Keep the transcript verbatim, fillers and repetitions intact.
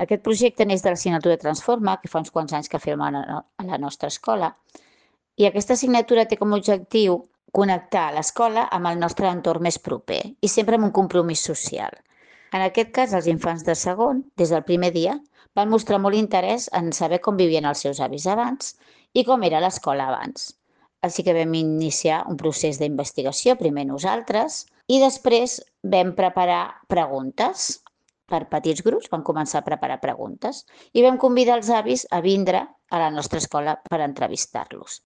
Aquest projecte neix de l'assignatura Transforma, que fa uns quants anys que fem a la a la nostra escola, i aquesta assignatura té com a objectiu connectar l'escola amb el nostre entorn més proper i sempre amb un compromís social. En aquest cas, els infants de segon, des del primer dia, van mostrar molt interès en saber com vivien els seus avis abans i com era l'escola abans. Així que vam iniciar un procés d'investigació, primer nosaltres, i després vam preparar preguntes. Per petits grups vam començar a preparar preguntes i vam convidar els avis a vindre a la nostra escola per entrevistar-los.